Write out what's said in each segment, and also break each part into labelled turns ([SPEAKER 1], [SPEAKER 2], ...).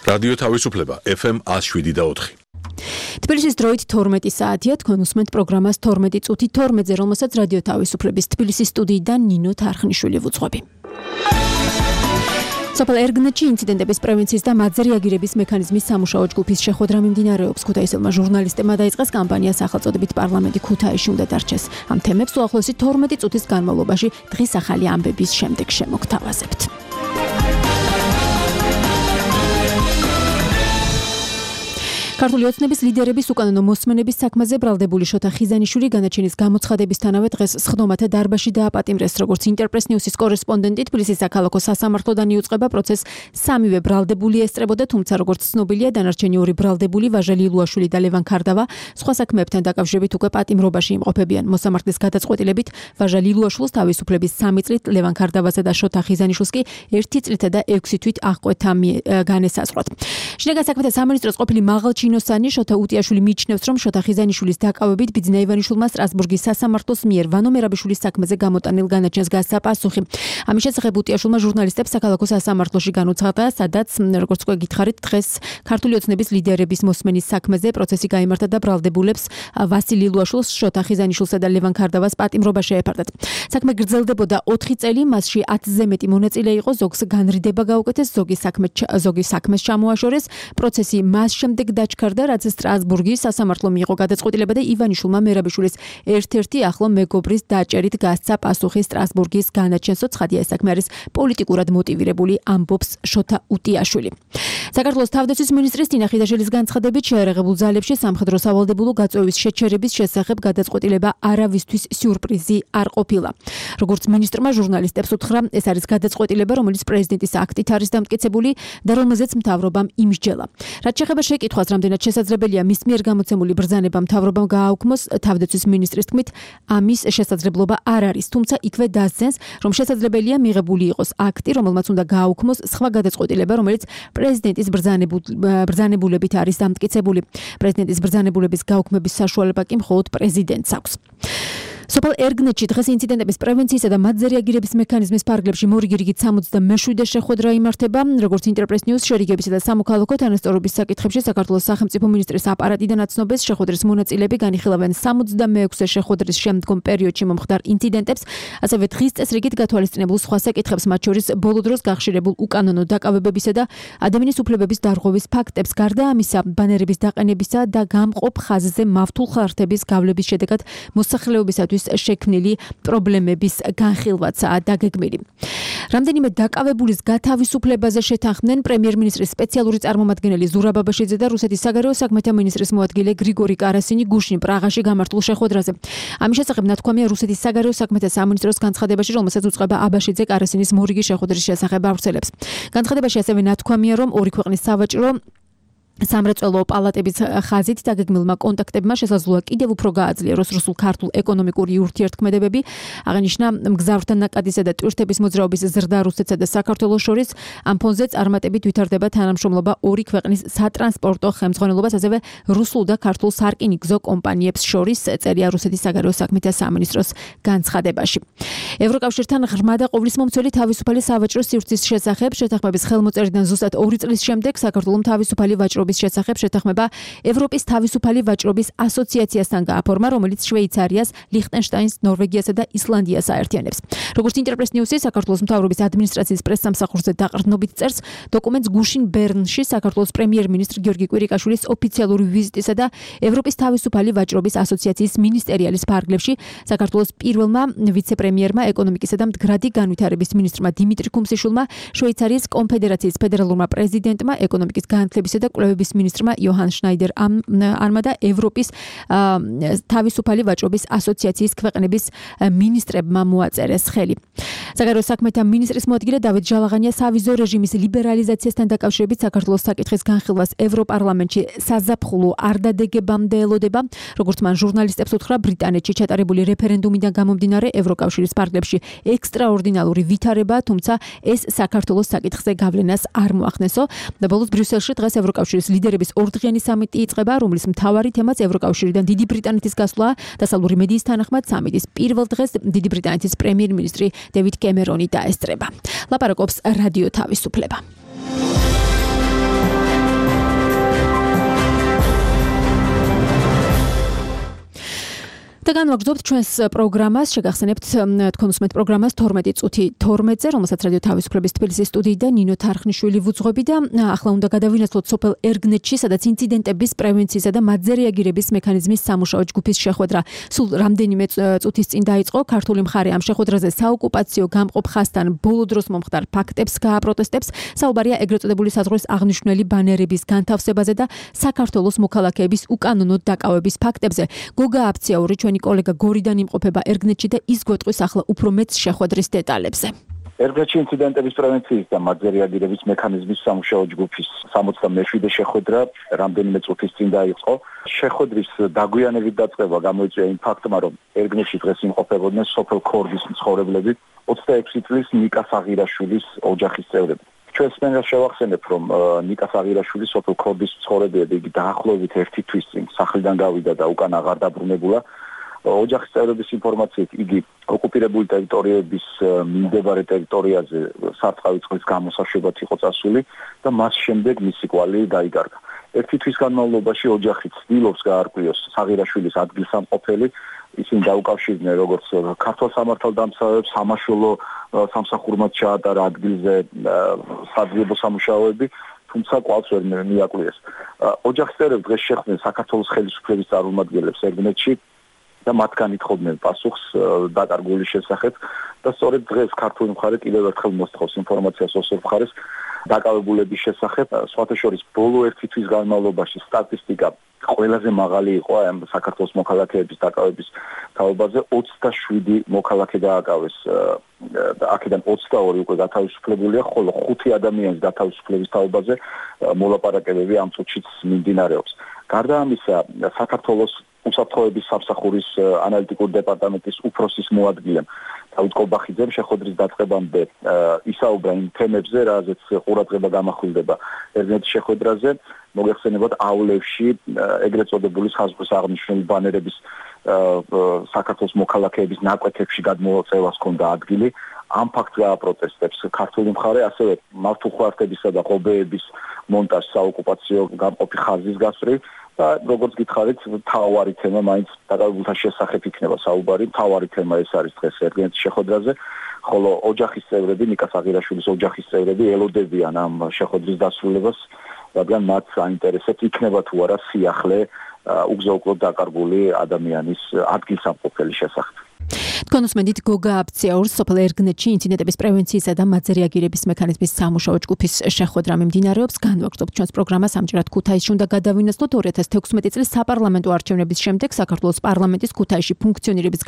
[SPEAKER 1] რადიო თავისუფლება FM 107.4.
[SPEAKER 2] თბილისის დროით 12 საათია, თქვენ უსმენთ პროგრამას 12 წუთი 12-ზე, რომელსაც რადიო თავისუფლების თბილისის სტუდიიდან ნინო თარხნიშვილი ვუძღვები. სოფელ ერგნეთში ინციდენტების პრევენციის და მათზე რეაგირების მექანიზმის სამუშაო ჯგუფის შეხვედრა მიმდინარეობს. ქუთაისელმა ჟურნალისტებმა დაიწყეს კამპანია სახელწოდებით პარლამენტი ქუთაისში უნდა დარჩეს. ამ თემებს უახლოესი 12 წუთის განმავლობაში დღის ახალი ამბების შემდეგ შემოგთავაზებთ. ქართული ოცნების ლიდერების უკანონო მოსმენების საქმეზე ბრალდებული შოთა ხიზანიშვილი განაჩენის გამოცხადებისთანავე დღეს სხდომათა დარბაზში დააპატიმრეს. როგორც ინტერპრეს ნიუსის კორესპონდენტი, თბილისის საქალაქო სასამართლოდან იუწყება პროცესს სამივე ბრალდებული ესწრებოდა, თუმცა როგორც ცნობილია, დანარჩენი ორი ბრალდებული ვაჟა ლილუაშვილი და ლევან ქარდავა სხვა საქმეებთან დაკავშირებით უკვე პატიმრობაში იმყოფებიან. მოსამართლის გადაწყვეტილებით ვაჟა ლილუაშვილს თავისუფლების 3 წლით, ლევან ქარდავასა და შოთა ხიზანიშვილს კი 1 წლითა და 6 თვით აღკვეთა განესაზღვრათ. შინაგან საქმეთა სამინისტროს ყოფილი მაღალჩინოსანი შოთა უტიაშვილი მიიჩნევს, რომ შოთა ხიზანიშვილის დაკავებით ბიძინა ივანიშვილმა სტრასბურგის სასამართლოს მიერ ვანო მერაბიშვილის საქმეზე გამოტანილ განაჩენს გასცა პასუხი. ამის შესახებ უტიაშვილმა ჟურნალისტებს საქალაქო სასამართლოში განუცხადა, სადაც როგორც უკვე გითხარით, დღეს ქართული ოცნების ლიდერების მოსმენის საქმეზე პროცესი გაიმართა და ბრალდებულებს ვასილ ლილუაშვილს, შოთა ხიზანიშვილსა და ლევან ქარდავას პატიმრობა შეეფარდათ. საქმე გრძელდებოდა 4 წელი, მასში 10-ზე მეტი მონაწილე იყო, ზოგს განრიდება გაუკეთეს, ზოგი საქმეს ჩამოაშორეს. პროცესი მას შემდეგ დაჩქარდა, რაც სტრასბურგის სასამართლომ მიიღო გადაწყვეტილება და ივანიშვილმა მერაბიშვილის ერთ-ერთი ახლო მეგობრის დაჭერით გასცა პასუხი სტრასბურგის განაჩენსო. ცხადია, ეს საქმე არის პოლიტიკურად მოტივირებული, ამბობს შოთა უტიაშვილი. საქართველოს თავდაცვის მინისტრის ტინა ხიდაშელის განცხადებით, შეერაღებულ ძალებში სამხედრო სავალდებულო გაწვევის შეჩერების შესახებ გადაწყვეტილება არავისთვის სიურპრიზი არ ყოფილა. როგორც მინისტრმა ჟურნალისტებს უთხრა, ეს არის გადაწყვეტილება, რომელიც პრეზიდენტის აქტით არის დამტკიცებული და რომელზეც მთავრობამ იმსჯელა. რაც შეეხება შეკითხვას, რამდენად შესაძლებელია მის მიერ გამოცემული ბრძანება მთავრობამ გააუქმოს, თავდაცვის მინისტრის თქმით, ამის შესაძლებლობა არ არის, თუმცა იქვე დასძენს, რომ შესაძლებელია მიღებული იყოს აქტი, რომელმაც უნდა გააუქმოს სხვა გადაწყვეტილება, რომელიც პრეზიდენტის ბრძანებულებით არის დამტკიცებული. პრეზიდენტის ბრძანებულების გაუქმების საშუალება კი მხოლოდ პრეზიდენტს აქვს. სოფელ ერგნეთში დღეს ინციდენტების პრევენციისა და მათზე რეაგირების მექანიზმის ფარგლებში მორიგირიგით 67 შეხვედრა იმართება. როგორც ინტერპრეს ნიუს შერიგებისა და სამოქალაქო თანასწორობის საკითხებში საქართველოს სახელმწიფო მინისტრის აპარატიდან აცნობეს, შეხვედრის მონაწილეები განიხილავენ 66 შეხვედრის შემდგომ პერიოდში მომხდარ ინციდენტებს, ასევე დღის წესრიგით გათვალისწინებულ სხვა საკითხებს, მათ შორის ბოლო დროს გახშირებულ უკანონო დაკავებებისა და ადამიანის უფლებების დარღვევის ფაქტებს. გარდა ამისა, ბანერების დაყენებისა და გამყოფ ხაზზე მავთულ ხარხტების გავლების შედეგად მოსახლეობისათვის შექმნილი პრობლემების განხილვაცაა დაგეგმილი. რამდენიმე დაკავებულის გათავისუფლებაზე შეთანხმდნენ პრემიერ-მინისტრის სპეციალური წარმომადგენელი ზურაბ აბაშიძე და რუსეთის საგარეო საქმეთა მინისტრის მოადგილე გრიგორი კარასინი გუშინ პრაღაში გამართულ შეხვედრაზე. ამის შესახებ ნათქვამია რუსეთის საგარეო საქმეთა სამინისტროს განცხადებაში, რომელსაც უწყება აბაშიძე კარასინის მორიგი შეხვედრის შესახებ ავრცელებს. განცხადებაში ასევე ნათქვამია, რომ ორი ქვეყნის სავაჭრო სამრეწველო პალატების ხაზით დაგეგმილმა კონტაქტებმა შესაძლოა კიდევ უფრო გააძლიეროს რუსულ-ქართულ ეკონომიკური ურთიერთქმედებები. აღნიშნა მგზავრთა ნაკადისა და ტურისტების მოძრაობის ზრდა რუსეთსა და საქართველოს შორის. ამ ფონზე წარმატებით ვითარდება თანამშრომლობა ორი ქვეყნის სატრანსპორტო ხელმძღვანელობას, ასევე რუსულ და ქართულ სარკინიგზო კომპანიებს შორის, წერია რუსეთის საგარეო საქმეთა სამინისტროს განცხადებაში. ევროკავშირთან ღრმა და ყოვლისმომცველი თავისუფალი სავაჭრო სივრცის შესახებ შეთანხმების ხელმოწერიდან ზუსტად 2 წლის შემდეგ საქართველოს თავისუფალი ვაჭრობის შესახებ შეთანხმება ევროპის თავისუფალი ვაჭრობის ასოციაციასთან გააფორმა, რომელიც შვეიცარიას, ლიხტენშტაინს, ნორვეგიასა და ისლანდიას აერთიანებს. როგორც ინტერპრეს ნიუსი საქართველოს მთავრობის ადმინისტრაციის პრესსამსახურზე დაყრდნობით წერს, დოკუმენტს გუშინ ბერნში საქართველოს პრემიერ-მინისტრ გიორგი კვირიკაშვილის ოფიციალური ვიზიტისა და ევროპის თავისუფალი ვაჭრობის ასოციაციის მინისტერიალის ფარგლებში საქართველოს პირველმა ვიცე-პრემიერმა, ეკონომიკისა და მდგრადი განვითარების მინისტრმა დიმიტრი კუმსიშვილმა, შვეიცარიის კონფედერაციის ფედერალურმა პრეზიდენტმა, ეკონომიკის განათლებისა და კვლევების მინისტრმა იოჰან შნაიდერ არმა და ევროპის თავისუფალი ვაჭრობის ასოციაციის ქვეყნების მინისტრებმა მოაწერეს ხელი. საგარეო საქმეთა მინისტრის მოადგილე დავით ჟალაღანია სავიზო რეჟიმის ლიბერალიზაციასთან დაკავშირებით საქართველოს საკითხის განხილვას ევროპარლამენტში საზაფხულო არ დადეგებამდე ელოდება. როგორც მან ჟურნალისტებს უთხრა, ბრიტანეთში ჩატარებული რეფერენდუმიდან გამომდინარე ევროკავშირის ფარგლებში ექსტრაორდინალური ვითარებაა, თუმცა ეს საქართველოს საკითხზე გავლენას არ მოახდენსო. და ბოლოს ბრიუსელში დღეს ევროკავშირის ლიდერების ორდღიანი სამიტი იწყება, რომლის მთავარი თემაც ევროკავშირიდან დიდი ბრიტანეთის გასვლა. დასავლური მედიის თანახმად სამიტის პირველ დღეს დიდი ბრიტანეთის პრემიერ-მინისტრი დევიდ კემერონი დაესწრება. ლაპარაკობს რადიო თავისუფლება. და განვაგრძობთ ჩვენს პროგრამას, შეგახსენებთ თქვენ უსმენთ პროგრამას 12 წუთი 12-ზე, რომელსაც რადიო თავისუფლების თბილისის სტუდიიდან ნინო თარხნიშვილი ვუძღვები და ახლა უნდა გადავინაცვლოთ სოფელ ერგნეთში, სადაც ინციდენტების პრევენციისა და მათზე რეაგირების მექანიზმის სამუშაო ჯგუფის შეხვედრა სულ რამდენიმე წუთის წინ დაიწყო. ქართული მხარე ამ შეხვედრაზე საოკუპაციო გამყოფ ხაზთან ბოლო დროს მომხდარ ფაქტებს გააპროტესტებს. საუბარია ეგრეთ წოდებული საზღვრის აღნიშნული ბანერების განთავსებაზე და საქართველოს მოქალაქეების უკანონო დაკავების ფაქტებზე. გოგა აფციაური ჩვენი კოლეგა გორიდან იმყოფება ერგნეთში და ის გვეტყვის ახლა უფრო მეც შეხვედრის დეტალებზე.
[SPEAKER 3] ერგნეთში ინციდენტების პრევენციის და მათზე რეაგირების მექანიზმის სამუშაო ჯგუფის 67-ე შეხვედრა რამდენიმე წუთის წინ დაიწყო. შეხვედრის დაგვიანებით დაწყება გამოიწვია იმ ფაქტმა, რომ ერგნეთში დღეს იმყოფებოდნენ სოფელ ქორდის მცხოვრებლები 26 წლის ნიკა საღირაშვილის ოჯახის წევრები. ჩვენ სპენას შევახსენებ, რომ ნიკა საღირაშვილი სოფელ ქორდის მცხოვრებია და იგი დაახლოებით 1 თვის წინ სახლიდან გავიდა და უკან აღარ დაბრუნებულა. ოჯახის წევრების ინფორმაციით იგი ოკუპირებული ტერიტორიების მიმდებარე ტერიტორიაზე სარწყავი წყლის გამოსაშვებად იყო წასული და მას შემდეგ მისი კვალი დაიკარგა. 1 თვის განმავლობაში ოჯახი ცდილობს გაარკვიოს საღირაშვილის ადგილსამყოფელი, ისინი დაუკავშირდნენ როგორც ქართულ სამართალდამცავებს, სამაშველო სამსახურმად ჩაატარა ადგილზე საძიებო სამუშაოები, თუმცა კვალს ვერ მიაკვლიეს. ოჯახის წევრები დღეს შეხვდნენ საქართველოს ხელისუფლების წარმომადგენლებს ერგნეთში და მათგან ითხოვდნენ პასუხს დაკარგულის შესახებ და სწორედ დღეს ქართული მხარე კიდევ ერთხელ მოსთხოვს ინფორმაციას ოსურ მხარეს დაკავებულების შესახებ. სხვათა შორის ბოლო 1 თვის განმავლობაში სტატისტიკა ყველაზე მაღალი იყო ამ საქართველოს მოქალაქეების დაკავების თაობაზე 27 მოქალაქე დააკავეს და აქედან 22 უკვე გათავისუფლებულია, ხოლო 5 ადამიანის გათავისუფლების თაობაზე მოლაპარაკებები ამ წუთშიც მიმდინარეობს. გარდა ამისა, საქართველოს უსაფრთხოების სამსახურის ანალიტიკური დეპარტამენტის უფროსის მოადგილემ დავით კობახიძემ შეხვედრის დაწყებამდე ისაუბრა იმ თემებზე, რაზეც ყურადღება გამახვილდება ერგნეთის შეხვედრაზე. მოგეხსენებათ, აულევში ეგრეთ წოდებული საზღვრის აღნიშნული ბანერების საქართველოს მოქალაქეების ნაკვეთებში გადმოწევას ჰქონდა ადგილი. ამ ფაქტს გააპროტესტებს ქართული მხარე, ასევე მართულხვართებისა და ღობეების მონტაჟს საოკუპაციო გამყოფი ხაზის გასწვრივ და როგორც გითხარით, თავარი თემა მაინც დაკავებულთა შესახებ იქნება საუბარი. თავარი თემა ეს არის დღეს ერგნეთის შეხვედრაზე, ხოლო ოჯახის წევრები, ნიკა საღირაშვილის ოჯახის წევრები ელოდებიან ამ შეხვედრის დასრულებას, რადგან მათ საინტერესებს იქნება თუ არა სიახლე უგზო-უკვლოდ დაკარგული ადამიანის ადგილსამყოფელის შესახებ.
[SPEAKER 2] თქვენ უსმენთ გოგა აფციაურს სოფელ ერგნეთში ინციდენტების პრევენციისა და მათზე რეაგირების მექანიზმის სამუშაო ჯგუფის შეხვედრა მიმდინარეობს. განვაგრძობთ ჩვენს პროგრამას. ამჯერად ქუთაისში უნდა გადავინაცვლოთ 2016 წლის საპარლამენტო არჩევნების შემდეგ საქართველოს პარლამენტის ქუთაისში ფუნქციონირების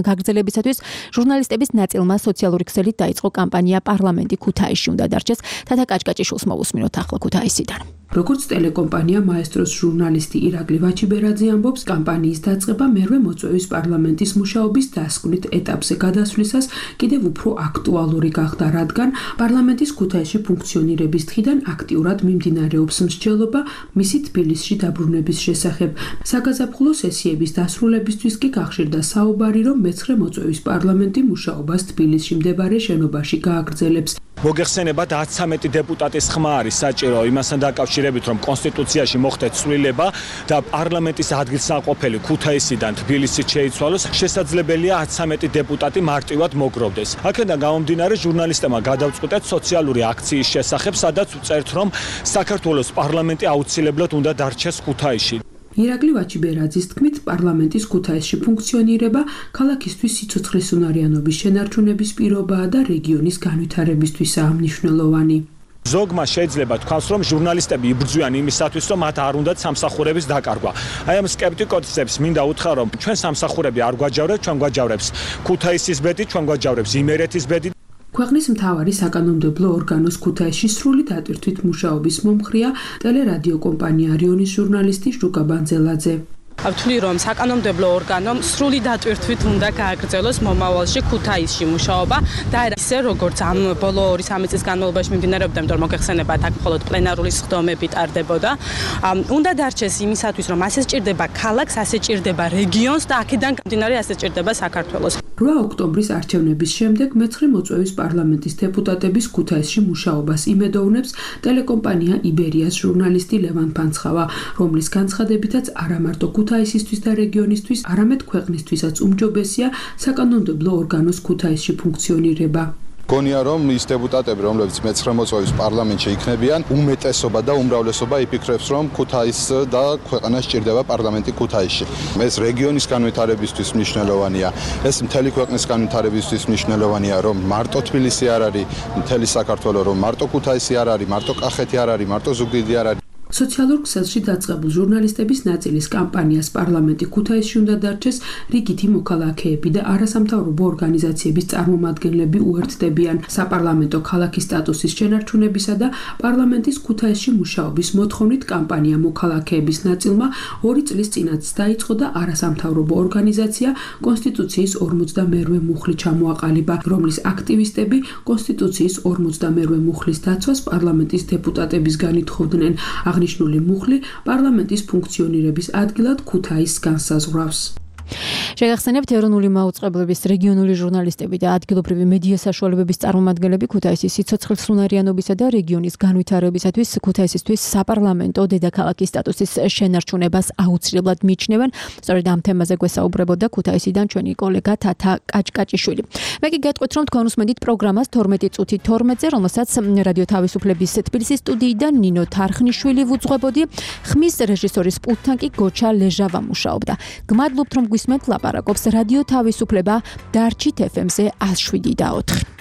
[SPEAKER 2] გაგრძელებისათვის ჟურნალისტების ნაწილმა სოციალური ქსელით დაიწყო კამპანია პარლამენტი ქუთაისში უნდა დარჩეს. თათა კაჭკაჭიშვილს მოვუსმინოთ ახლა ქუთაისიდან.
[SPEAKER 4] როგორც ტელეკომპანია მაესტროს ჟურნალისტი ირაკლი ვაჩიბერაძე ამბობს, კამპანიის დაწყება მერვე მოწვევის პარლამენტის მუშაობის დასკვნით ეტაპზე გადასვლისას კიდევ უფრო აქტუალური გახდა, რადგან პარლამენტის ქუთაისში ფუნქციონირების დღიდან აქტიურად მიმდინარეობს მსჯელობა მისი თბილისში დაბრუნების შესახებ. საგაზაფხულო სესიების დასრულებისთვის კი გახშირდა საუბარი, რომ მე-9 მოწვევის პარლამენტი მუშაობას თბილისში მდებარე შენობაში გააგრძელებს.
[SPEAKER 5] მოგეხსენებათ 13 დეპუტატის ხმა არის საჭირო იმასთან დაკავშირებით, რომ კონსტიტუციაში მოხდეთ ცვლილება და პარლამენტის ადგილსამყოფელი ქუთაისიდან თბილისით შეიცვალოს, შესაძლებელია 13 დეპუტატი მარტივად მოგროვდეს. აქედან გამომდინარე, ჟურნალისტებმა გადავწყვიტეთ სოციალური აქციის შესახებ, სადაც ვწერთ, რომ საქართველოს პარლამენტი აუცილებლად უნდა დარჩეს ქუთაისში.
[SPEAKER 4] ირაკლი ვაჩიბერაძის თქმით, პარლამენტის ქუთაისში ფუნქციონირება ქალაქისთვის სიცოცხლესუნარიანობის შენარჩუნების პირობაა და რეგიონის განვითარებისთვისაა მნიშვნელოვანი.
[SPEAKER 5] ზოგმა შეიძლება თქვას, რომ ჟურნალისტები იბრძვიან იმისათვის, რომ მათ არ უნდათ სამსახურების დაკარგვა. აი ამ სკეპტიკოსებს მინდა უთხრა, რომ ჩვენ სამსახურები არ გვაჯავრებს, ჩვენ გვაჯავრებს ქუთაისის ბედი, ჩვენ გვაჯავრებს იმერეთის ბედი.
[SPEAKER 4] ქვეყნის მთავარი საკანონმდებლო ორგანოს ქუთაისში სრული დატვირთვით მუშაობის მომხრეა ტელერადიო კომპანია რიონის ჟურნალისტი ჟუკა ბანძელაძე.
[SPEAKER 6] ვთვლი, რომ საკანონმდებლო ორგანომ სრული დატვირთვით უნდა გააგრძელოს მომავალში ქუთაისში მუშაობა და ისე როგორც ამ ბოლო 2-3 წლის განმავლობაში მიმდინარეობდა, იმიტომ რომ მოგეხსენებათ, აქ მხოლოდ პლენარული სხდომები ტარდებოდა. უნდა დარჩეს იმისათვის, რომ ასე სჭირდება ქალაქს, ასე სჭირდება რეგიონს და აქედან გამომდინარე ასე სჭირდება საქართველოს.
[SPEAKER 4] 8 ოქტომბრის არჩევნების შემდეგ მე-9 მოწვევის პარლამენტის დეპუტატების ქუთაისში მუშაობას იმედოვნებს ტელეკომპანია იბერიას ჟურნალისტი ლევან ფანცხავა, რომლის განცხადებითაც არა მარტო ქუთაისისთვის და რეგიონისთვის, არამედ ქვეყნისთვისაც უმჯობესია საკანონმდებლო ორგანოს ქუთაისში ფუნქციონირება.
[SPEAKER 7] გონია რომ ის დეპუტატები, რომლებიც მე-19 მოწვევის პარლამენტში იქნებიან, უმეტესობა და უმრავლესობა იფიქრებს, რომ ქუთაის და ქვეყანას სჭირდება პარლამენტი ქუთაისში. ეს რეგიონის განვითარებისთვის მნიშვნელოვანია, ეს მთელი ქვეყნის განვითარებისთვის მნიშვნელოვანია, რომ მარტო თბილისი არ არის, მთელი საქართველო, რომ მარტო ქუთაისი არ არის, მარტო კახეთი არ არის, მარტო ზუგდიდი არ არის.
[SPEAKER 4] სოციალურ ქსელში დაწყებულ ჟურნალისტების ნაწილის კამპანიას პარლამენტი ქუთაისში უნდა დარჩეს რიგითი მოქალაქეები და არასამთავრობო ორგანიზაციების წარმომადგენლები უერთდებიან საპარლამენტო ქალაქის სტატუსის შენარჩუნებისა და პარლამენტის ქუთაისში მუშაობის მოთხოვნით კამპანია მოქალაქეების ნაწილმა 2 წლის წინაც დაიწყო და არასამთავრობო ორგანიზაცია კონსტიტუციის 52-მე მუხლი ჩამოაყალიბა, რომლის აქტივისტები კონსტიტუციის 52-მე მუხლის დაცვას პარლამენტის დეპუტატებისგან ითხოვდნენ. აღნიშნული მუხლი პარლამენტის ფუნქციონირების ადგილად ქუთაისს განსაზღვრავს.
[SPEAKER 2] შეგახსენებთ, ეროვნული მაუწყებლობის რეგიონული ჟურნალისტები და ადგილობრივი მედია საშუალებების წარმომადგენლები ქუთაისის სიცოცხლის უნარიანობისა და რეგიონის განვითარებისათვის ქუთაისისთვის საპარლამენტო დედაქალაქის სტატუსის შენარჩუნებას აუცილებლად მიიჩნევენ. სწორედ ამ თემაზე გვესაუბრებოდა ქუთაისიდან ჩვენი კოლეგა თათა კაჭკაჭიშვილი. მე კი გეტყვით, რომ თქვენ უსმენთ პროგრამას 12 წუთი 12-ზე, რომელსაც რადიო თავისუფლების თბილისის სტუდიიდან ნინო თარხნიშვილი ვუძღვებოდი. ხმის რეჟისორის პულტთან კი გოჩა ლეჟავა მუშაობდა. გმადლობთ, რომ გვისმენთ ლაპარაკობს რადიო თავისუფლება, დარჩით FM-ზე 107.4.